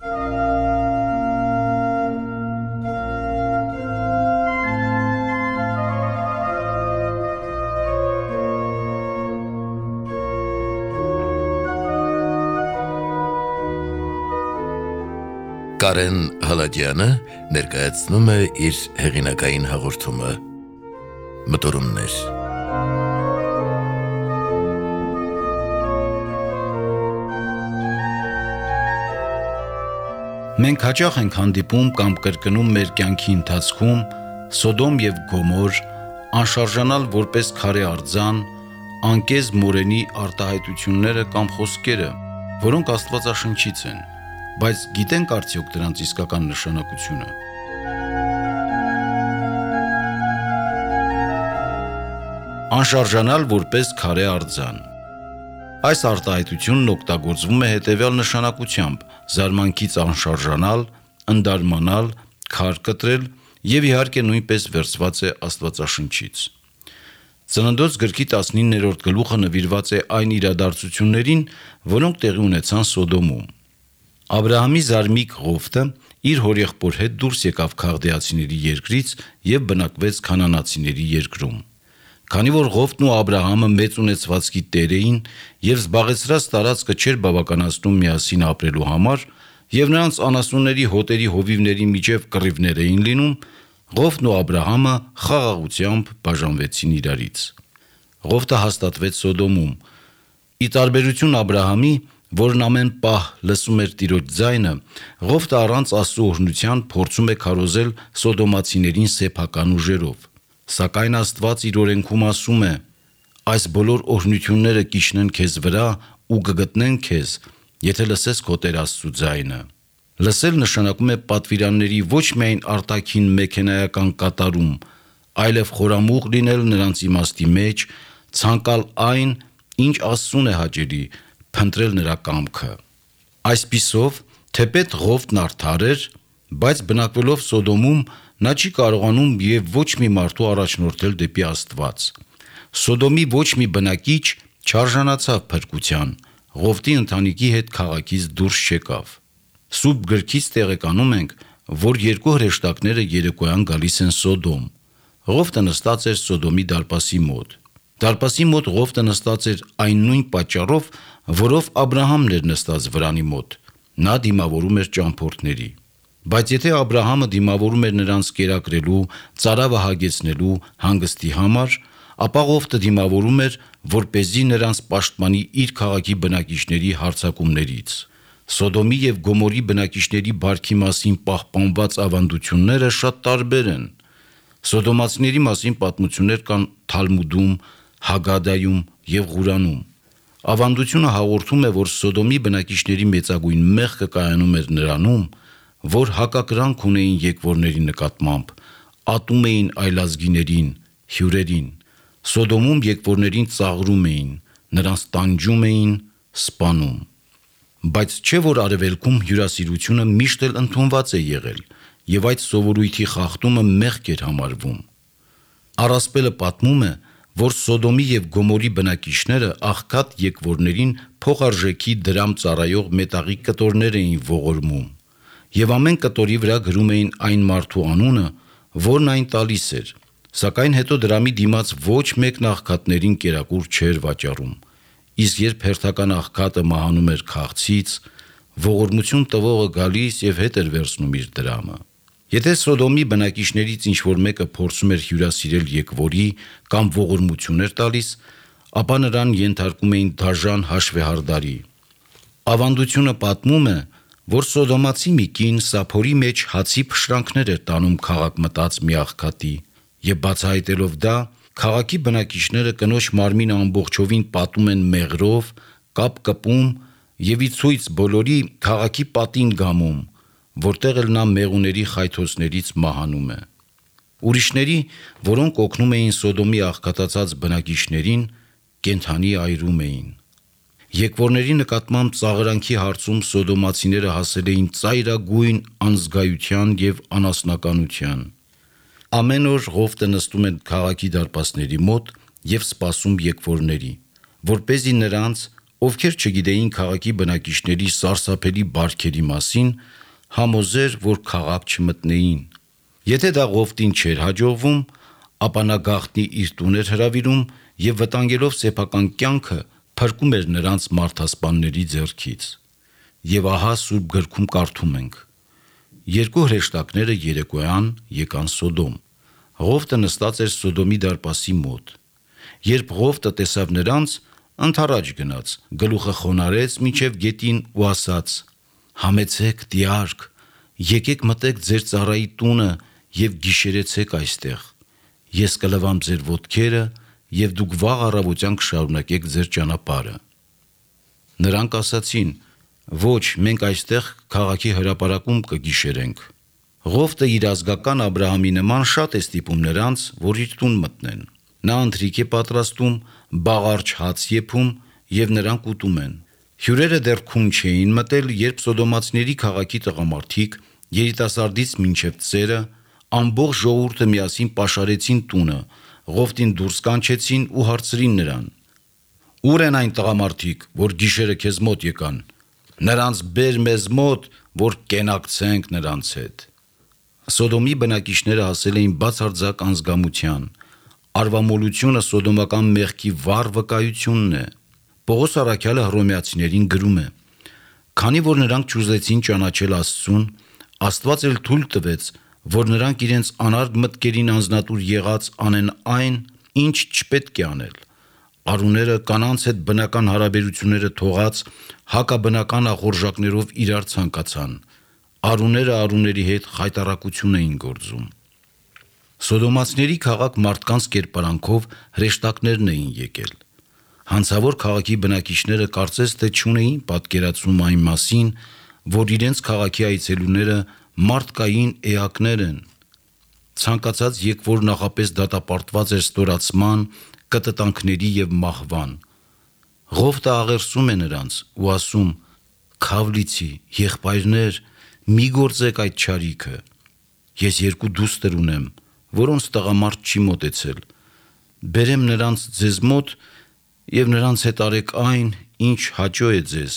Կարեն Հալադյանը ներկայացնում է իր հեղինակային հաղորդումը «Մտորումներ»։ Մենք հաճախ ենք հանդիպում կամ կրկնում մեր կյանքի ընթացքում Սոդոմ և Գոմոր, անշարժանալ որպես քարե արձան, անկեզ մորենի արտահայտությունները կամ խոսքերը, որոնք աստվածաշնչից են, բայց գիտենք արդյոք դրանց իսկական նշանակությունը։ Անշարժանալ որպես քարե արձան։ Այս արտահայտությունն օգտագործվում է հետևյալ նշանակությամբ՝ զարմանքից անշարժանալ, ընդարմանալ, քար կտրել և իհարկե նույնպես վերցված է Աստվածաշնչից։ Ծննդոց գրքի 19-րդ գլուխը նվիրված է այն իրադարձություններին, որոնք տեղի ունեցան Սոդոմում։ Աբրահամի զարմիկ Ղովտը իր հորեղբոր հետ դուրս եկավ քաղդեացիների երկրից և բնակվեց քանանացիների երկրում։ Քանի որ Ղովտն ու Աբրահամը մեծ ունեցվածքի տեր էին և զբաղեցրած տարածքը չէր բավականացնում միասին ապրելու համար, և նրանց անասունների հոտերի հովիվների միջև կռիվներ էին լինում, Ղովտն ու Աբրահամը խաղաղությամբ բաժանվեցին իրարից։ Ղովտը հաստատվեց Սոդոմում։ Ի տարբերություն Աբրահամի, որն ամեն պահ լսում էր Տիրոջ ձայնը, Ղովտը առանց Աստծո օրհնության փորձում է քարոզել սոդոմացիներին սեփական ուժերով։ Սակայն Աստված իր օրենքում ասում է. «Այս բոլոր օրհնությունները կիջնեն քեզ վրա ու կգտնեն քեզ, եթե լսես քո Տեր Աստծու ձայնը»։ Լսել նշանակում է պատվիրանների ոչ միայն արտաքին մեքենայական կատարում, այլև խորամուղ լինել նրանց իմաստի մեջ, ցանկալ այն, ինչ Աստծուն է հաճելի, փնտրել նրա կամքը։ Այսպիսով, թեպետ Ղովտն արդար էր, բայց բնակվելով Սոդոմում, նա չի կարողանում և ոչ մի մարդու առաջնորդել դեպի Աստված։ Սոդոմի ոչ մի բնակիչ չարժանացավ փրկության, Ղովտի ընտանիքի հետ քաղաքից դուրս չեկավ։ Սուրբ գրքից տեղեկանում ենք, որ երկու հրեշտակները երեկոյան գալիս են Սոդոմ։ Ղովտը նստած էր Սոդոմի դարպասի մոտ։ Դարպասի մոտ Ղովտը նստած էր այն նույն պատճառով, որով Աբրահամն էր նստած վրանի մոտ։ Նա դիմավորում էր ճամփորդների։ Բայց եթե Աբրահամը դիմավորում էր նրանց կերակրելու, ծարավը հագեցնելու, հանգստի համար, ապա Ղովտը դիմավորում էր, որպեսզի նրանց պաշտպանի իր քաղաքի բնակիչների հարձակումներից։ Սոդոմի և Գոմորի բնակիչների բարքի մասին պահպանված ավանդությունները շատ տարբեր են։ Սոդոմացիների մասին պատմություններ կան Թալմուդում, Հագադայում և Ղուրանում։ Ավանդությունը հաղորդում է, որ Սոդոմի բնակիչների մեծագույն մեղքը կայանում էր նրանում, որ հակակրանք ունեին եկվորների նկատմամբ, ատում էին այլազգիներին, հյուրերին։ Սոդոմում եկվորներին ծաղրում էին, նրանց տանջում էին, սպանում։ Բայց չէ՞ որ Արևելքում հյուրասիրությունը միշտ էլ ընդունված է եղել, և այդ սովորույթի խախտումը մեղք էր համարվում։ Առասպելը պատմում է, որ Սոդոմի և Գոմորի բնակիչները աղքատ եկվորներին փոխարժեքի դրամ ծառայող մետաղի կտորներ էին ողորմում, և ամեն կտորի վրա գրում էին այն մարդու անունը, որն այն տալիս էր, սակայն հետո դրամի դիմաց ոչ մեկն աղքատներին կերակուր չէր վաճառում, իսկ երբ հերթական աղքատը մահանում էր քաղցից, ողորմություն տվողը գալիս և հետ էր վերցնում իր դրամը։ Եթե Սոդոմի բնակիչներից ինչ-որ մեկը փորձում էր հյուրասիրել եկվորի կամ ողորմություն էր տալիս, ապա նրան ենթարկում էին դաժան հաշվեհարդարի։ Ավանդությունը պատմում է, որ սոդոմացի մի կին սափորի մեջ հացի փշրանքներ էր տանում քաղաք մտած մի աղքատի, և բացահայտելով դա, քաղաքի բնակիչները կնոջ մարմինը ամբողջովին պատում են մեղրով, կապ կպում և ի ցույց բոլորի քաղաքի պատին գամում, որտեղ էլ նա մեղուների խայթոցներից մահանում է։ Ուրիշների, որոնք օգնում էին Սոդոմի աղքատացած բնակիչներին, կենդանի այրում էին։ Եկվորների նկատմամբ ծաղրանքի հարցում սոդոմացիները հասել էին ծայրագույն անզգայության և անասնականության։ Ամեն օր Ղովտը նստում էր քաղաքի դարպասների մոտ և սպասում եկվորների, որպեսզի նրանց ովքեր չգիտեին քաղաքի բնակիչների սարսափելի բարքերի մասին, համոզեր, որ քաղաք չմտնեին։ Եթե դա Ղովտին չէր հաջողվում, ապա նա գաղտնի իր տուն էր հրավիրում եւ վտանգելով սեփական կյանքը փրկում էր նրանց մարդասպանների ձեռքից։ Եվ ահա Սուրբ գրքում կարդում ենք. երկու հրեշտակները երեկոյան եկան Սոդոմ։ Ղովտը նստած էր Սոդոմի դարպասի մոտ։ Երբ Ղովտը տեսավ նրանց, ընդառաջ գնաց, գլուխը խոնարհեց մինչև գետին ու ասաց. «Համեցեք, դիարք, եկեք մտեք ձեր ծառայի տունը եւ գիշերեցեք այստեղ։ Ես կլվամ ձեր ոտքերը եւ դուք վաղ առավոտյան կշարունակեք ձեր ճանապարհը»։ Նրանք ասացին. «Ոչ, մենք այստեղ քաղաքի հրապարակում կգիշերենք»։ Ղովտը իր ազգական Աբրահամի նման շատ է ստիպում նրանց, որ իր տուն մտնեն։ Նա ընթրիք է պատրաստում, բաղարջ հաց եփում եւ նրանք ուտում են։ Հյուրերը դեռ քուն չէին մտել, երբ սոդոմացիների քաղաքի տղամարդիկ, երիտասարդից մինչև ծերը, ամբողջ ժողովուրդը միասին պաշարեցին տունը, Ղովտին դուրս կանչեցին ու հարցրին նրան. «Ուր են այն տղամարդիկ, որ գիշերը քեզ մոտ եկան։ Նրանց բեր մեզ մոտ, որ կենակցենք նրանց հետ»։ Սոդոմի բնակիչները հասել էին բացարձակ անզգամության։ Արվամոլությունը սոդոմական մեղքի վառ վկայությունն է։ Պողոս առաքյալը հռոմեացիներին գրում է. «Քանի որ նրանք չուզեցին ճանաչել Աստծուն, Աստված էլ թույլ տվեց, որ նրանք իրենց անարգ մտքերին անձնատուր եղած անեն այն, ինչ չպետք է անել։ Արուները կանանց հետ բնական հարաբերությունները թողած հակաբնական ախորժակներով իրար ցանկացան։ Արուները արուների հետ խայտառակություն էին գործում»։ Սոդոմացիների քաղաք մարդկանց կերպարանքով հրեշտակներն էին եկել։ Հանցավոր քաղաքի բնակիչները կարծես թե չունեին պատկերացում այն մասին, որ իրենց քաղաքի այցելուները մարդկային էակներ են։ Ցանկացած եկվոր նախապես դատապարտված էր ստորացման, կտտանքների եւ մահվան։ Ղովտը աղերսում է նրանց ու ասում. «Քավլիցի, եղբայրներ, մի գործեք այդ չարիքը։ Ես երկու դուստր ունեմ, որոնց տղամարդ չի մոտեցել։ Բերեմ նրանց ձեզ մոտ եւ նրանց հետ արեք այն, ինչ հաճո է ձեզ։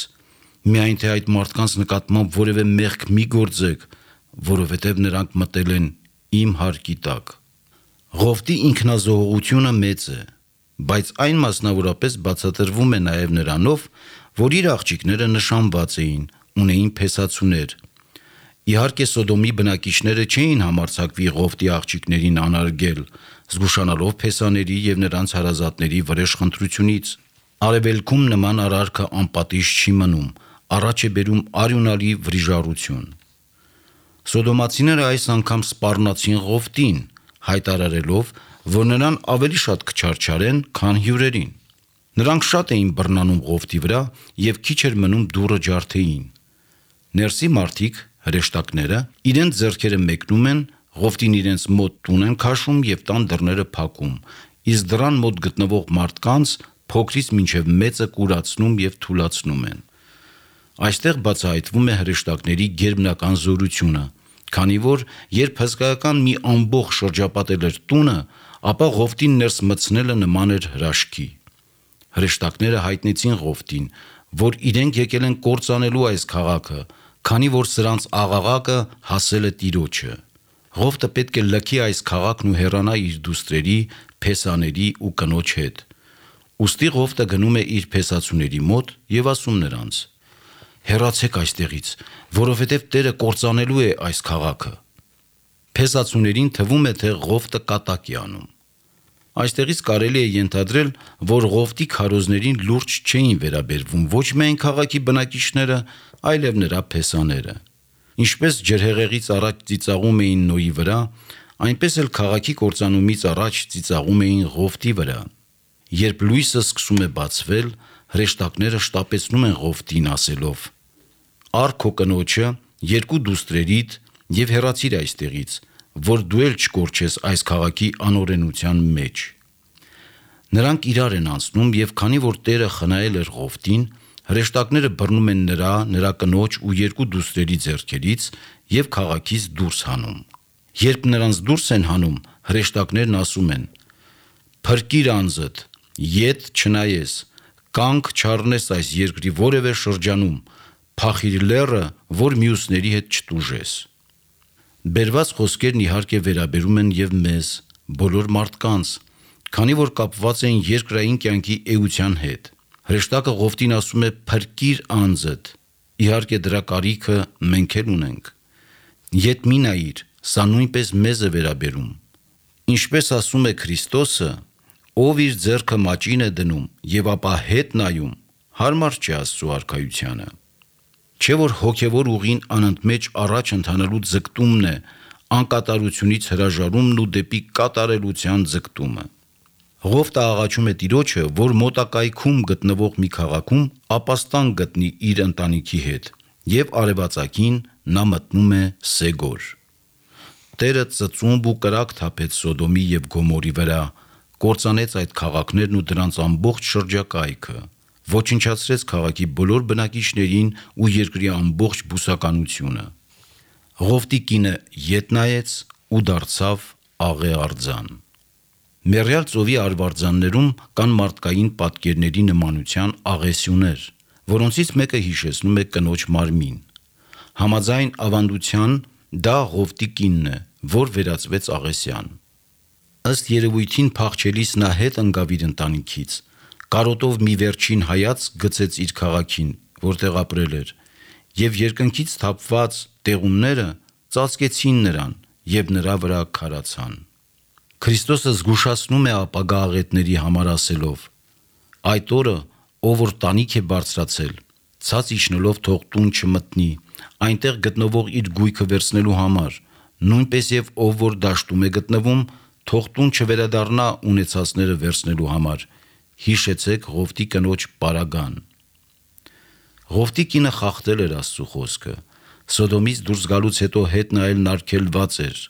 Միայն թե այդ մարդկանց նկատմամբ որևէ մեղք մի գործեք, որովհետև նրանք մտել են իմ հարկի տակ»։ Ղովտի ինքնազոհողությունը մեծ է, բայց այն մասնավորապես բացատրվում է նաև նրանով, որ իր աղջիկները նշանված էին, ունեին փեսացուներ։ Իհարկե Սոդոմի բնակիչները չէին համարձակվի Ղովտի աղջիկներին անարգել, զգուշանալով փեսաների եւ նրանց հարազատների վրեժխնդրությունից։ Արևելքում նման արարքը անպատիժ չի մնում, առաջ է բերում արյունալի վրիժառություն։ Սոդոմացիները այս անգամ սպառնացին Ղովտին, հայտարարելով, որ նրան ավելի շատ կչարչարեն, քան հյուրերին։ Նրանք շատ էին բռնանում Ղովտի վրա եւ քիչ էր մնում դուռը ջարդեին։ Ներսի մարդիկ, հրեշտակները, իրենց ձեռքերը մեկնում են, Ղովտին իրենց մոտ տուն են քաշում եւ տան դռները փակում, իսկ դռան մոտ գտնվող մարդկանց փոքրից մինչև մեծը կուրացնում եւ թուլացնում են։ Այստեղ բացահայտվում է հրեշտակների գերբնական զորությունը, քանի որ երբ հսկայական մի ամբողջ շրջապատել էր տունը, ապա Ղովտին ներս մտցնելը նման էր հրաշքի։ Հրեշտակները հայտնեցին Ղովտին, որ իրենք եկել են կործանելու այս քաղաքը, քանի որ սրանց աղաղակը հասել է Տիրոջը։ Ղովտը պետք է լքի այս քաղաքն ու հեռանա իր դուստրերի, փեսաների ու կնոջ հետ։ Ուստի Ղովտը գնում է իր փեսացուների մոտ եւ ասում նրանց. «Հեռացեք այստեղից, որովհետև Տերը կործանելու է այս քաղաքը»։ Փեսացուներին թվում է, թե Ղովտը կատակ է անում։ Այստեղից կարելի է ենթադրել, որ Ղովտի քարոզներին լուրջ չէին վերաբերվում ոչ միայն քաղաքի բնակիչները, այլև նրա փեսաները։ Ինչպես ջրհեղեղից առաջ ծիծաղում էին Նոյի վրա, այնպես էլ քաղաքի կործանումից առաջ ծիծաղում էին Ղովտի վրա։ Երբ լույսը սկսում է բացվել, հրեշտակները շտապեցնում են Ղովտին ասելով. «Առ քո կնոջը, երկու դուստրերիդ եւ հեռացիր այստեղից, որ դու էլ չկորչես այս քաղաքի անօրենության մեջ»։ Նրանք իրար են անցնում եւ քանի որ Տերը խնայել էր Ղովտին, հրեշտակները բռնում են նրա կնոջ ու երկու դուստրերի ձեռքերից եւ քաղաքից դուրս հանում։ Երբ նրանց դուրս են հանում, հրեշտակներն ասում են. «Փրկիր անձդ, ետ չնայես, կանգ չառնես այս երկրի որևէ շրջանում, փախիր լեռը, որ մյուսների հետ չտուժես։ Բերված խոսքերն իհարկե վերաբերում են եւ մեզ, բոլոր մարդկանց, քանի որ կապված են երկրային կյանքի էության հետ։ Հրեշտակը Ղովտին ասում է փրկիր անձդ, իհարկե դրա կարիքը մենք էլ ունենք։ Ետ մի նայիր, սա նույնպես մեզ է վերաբերում։ Ինչպես ասում է Քրիստոսը, ով իր ձեռքը մաճին է դնում եւ ապա հետ նայում, հարմար չի Աստծո արքայությանը։ Չէ որ հոգևոր ուղին անընդմեջ առաջ ընթանալու ձգտումն է, անկատարությունից հրաժարումն ու դեպի կատարելության ձգտումը։ Ղովտը աղաչում է Տիրոջը, որ մոտակայքում գտնվող մի քաղաքում ապաստան գտնի իր ընտանիքի հետ, եւ արևածագին նա մտնում է Սեգոր։ Տերը ծծումբ ու կրակ թափեց Սոդոմի եւ Գոմորի վրա, կործանեց այդ քաղաքներն ու դրանց ամբողջ շրջակայքը, ոչնչացրեց քաղաքի բոլոր բնակիչներին ու երկրի ամբողջ բուսականությունը։ Ղովտի կինը ետ նայեց ու դարձավ աղե արձան։ Մեռյալ ծովի արվարձաններում կան մարդկային պատկերների նմանության աղեսյուներ, որոնցից մեկը հիշեցնում է կնոջ մարմին։ Համաձայն ավանդության դա Ղովտի կինն է, որ վերածվեց աղեսյան։ Ըստ երևույթին փախչելիս նա հետ ընկավ իր ընտանիքից, կարոտով մի վերջին հայացք գցեց իր քաղաքին, որտեղ ապրել էր, եւ երկնքից թափված տեղումները ծածկեցին նրան եւ նրա վրա քարացան։ Քրիստոսը զգուշացնում է ապագա աղետների համար ասելով. այդ օրը, ով որ տանիք է բարձրացել, ցած իջնելով թող տուն չմտնի, այնտեղ գտնվող իր գույքը վերցնելու համար, նույնպես եւ ով որ դաշտում է գտնվում, թող տուն չվերադառնա ունեցածները վերցնելու համար։ Հիշեցեք Ղովտի կնոջ պարագան։ Ղովտի կինը խախտել էր Աստծո խոսքը, Սոդոմից դուրս գալուց հետո հետ նայել նարգելված էր։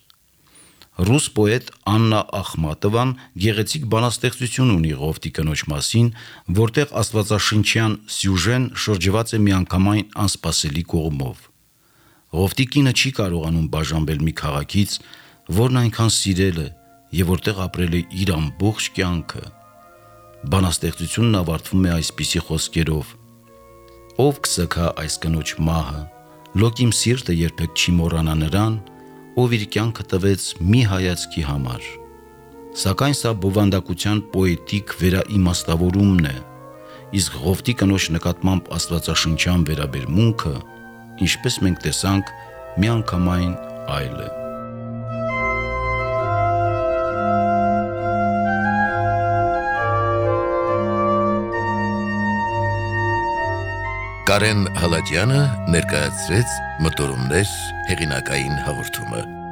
Ռուս պոետ Աննա Ախմատովան գեղեցիկ բանաստեղծություն ունի Ղովտի կնոջ մասին, որտեղ աստվածաշնչյան սյուժեն շրջված է միանգամայն անսպասելի կողմով։ Ղովտի կինը չի կարողանում բաժանվել մի քաղաքից, որն այնքան սիրել է եւ որտեղ ապրել է իր ամբողջ կյանքը։ Բանաստեղծությունն ավարտվում է այսպիսի խոսքերով. Ով կսգա այս կնոջ մահը, լոկ իմ սիրտը երբեք չի մոռանա նրան, ով իր կյանքը տվեց մի հայացքի համար։ Սակայն սա բովանդակության պոետիկ վերաիմաստավորումն է, իսկ Ղովտի կնոջ նկատմամբ աստվածաշնչյան վերաբերմունքը, ինչպես մենք տեսանք, միանգամայն այլ է։ Կարեն Հալաջյանը ներկայացրեց Մտորումներ հեղինակային հաղորդումը։